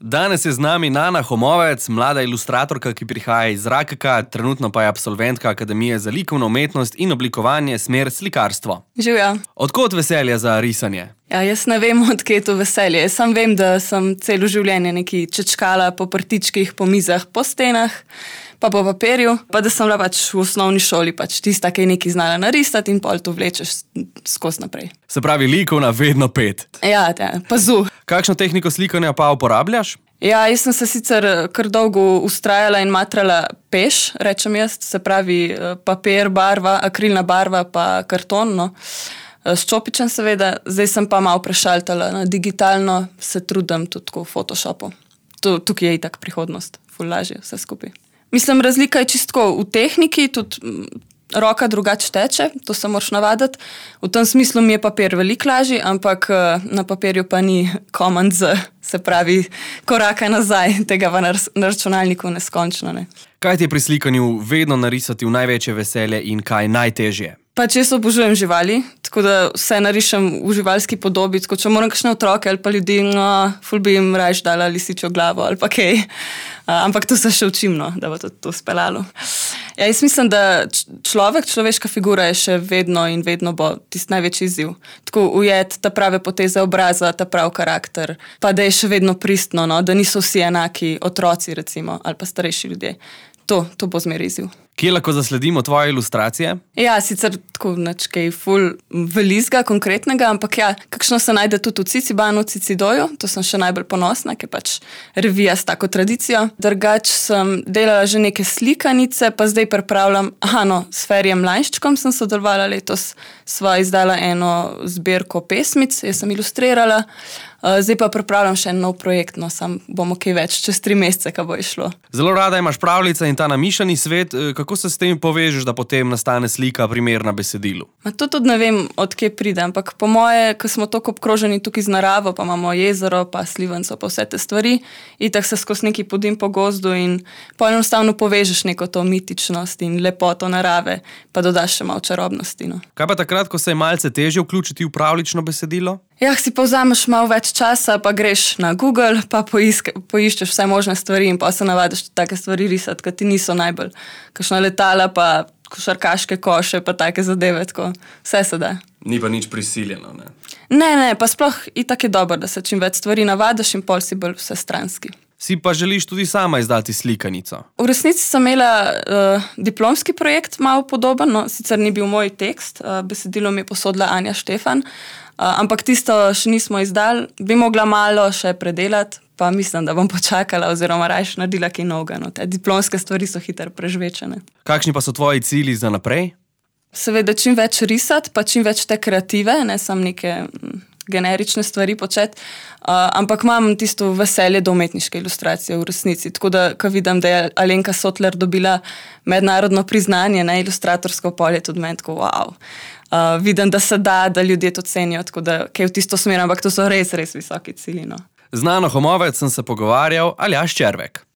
Danes je z nami Nana Homovec, mlada ilustratorka, ki prihaja iz Rakeka, trenutno pa je absolventka Akademije za likovno umetnost in oblikovanje, smer slikarstvo. Živjo. Odkot veselje za risanje? Ja, jaz ne vem, odkje je to veselje. Jaz samo vem, da sem celo življenje nekaj čečkala po prtičkih, po mizah, po stenah, pa po papirju, pa da sem bila pač v osnovni šoli tista, ki je nekaj znala narisati in pol to vlečeš skozi naprej. Se pravi, likovna vedno pet. Ja, pazu. Kakšno tehniko slikanja pa uporabljaš? Ja, jaz sem se sicer kar dolgo ustrajala in matrala peš, rečem jaz, se pravi papir, barva, akrilna barva pa karton, no. S čopičem seveda, zdaj sem pa malo prešaltala na digitalno, se trudim tudi v Photoshopu. Tukaj je itak prihodnost, ful lažje vse skupaj. Mislim, razlika je čisto v tehniki, tudi roka drugače teče, to se moraš navaditi. V tem smislu mi je papir veliko lažji, ampak na papirju pa ni Command Z, se pravi koraka nazaj, tega pa na računalniku neskončno, ne. Kaj ti je pri slikanju vedno narisati v največje veselje in kaj najtežje? Pač jaz obožujem živali, tako da vse narišem v živalski podobi, tako če moram kakšne otroke ali pa ljudi, ful bi jim rajš dala lisičjo glavo ali pa kaj. Ampak to se še učim, no, da bo to speljalo. Ja, jaz mislim, da človeška figura je še vedno in vedno bo tisti največji izziv. Tako ujeti ta prave poteze obraza, ta prav karakter, pa da je še vedno pristno, no, da niso vsi enaki otroci recimo, ali pa starejši ljudje. To bo zmeraj izziv. Kje lahko zasledimo tvoje ilustracije? Ja, sicer tako kaj ful velizga, konkretnega, ampak ja, kakšno se najde tudi v Cicibanu, Cicidoju, to sem še najbolj ponosna, ker pač revija s tako tradicijo. Drugač sem delala že neke slikanice, pa zdaj pripravljam, s Ferijem Mlajnščkom sem sodelovala letos, sva izdala eno zbirko pesmic, jaz sem ilustrirala, zdaj pa pripravljam še en nov projekt, no, sam bomo kaj več, čez 3 mesece, ko bo išlo. Zelo rada imaš pravljice in ta namišljeni svet, kako se s tem povežeš, da potem nastane slika primerna besedilu? To tudi ne vem, odkje pride, ampak po moje, ko smo toliko obkroženi tukaj z naravo, pa imamo jezero, pa slivenco, pa vse te stvari, itak se skozi neki podim po gozdu in enostavno povežeš neko to mitičnost in lepoto narave, pa dodaš še malo čarobnosti, no. Kaj pa takrat, ko se je malce težje vključiti v pravljično besedilo? Ja, si pa vzameš malo več časa, pa greš na Google, pa poiščeš vse možne stvari in pa se navadiš take stvari risati, ki ti niso najbolj. Kakšna letala, pa košarkaške koše, pa take zadeve, tako vse se da. Ni pa nič prisiljeno, ne? Ne, pa sploh itak je dobro, da se čim več stvari navadiš in pol si bolj vsestranski. Si pa želiš tudi sama izdati slikanico? V resnici sem imela diplomski projekt malo podoben, no, sicer ni bil moj tekst, besedilo mi je posodila Anja Štefan, ampak tisto še nismo izdali, bi mogla malo še predelati, pa mislim, da bom počakala oziroma rajš naredila kaj novega, no, te diplomske stvari so hitro prežvečene. Kakšni pa so tvoji cilji za naprej? Seveda čim več risati, pa čim več te kreative, ne samo neke generične stvari početi, ampak imam tisto veselje do umetniške ilustracije v resnici, tako da, ko vidim, da je Alenka Sotler dobila mednarodno priznanje, ne, ilustratorsko polje, tudi meni tako, wow. Vidim, da se da ljudje to cenijo, tako da, kaj v tisto smer, ampak to so res, res visoki cilji, no. Z Nano Homovec sem se pogovarjal, Aljaž Červek.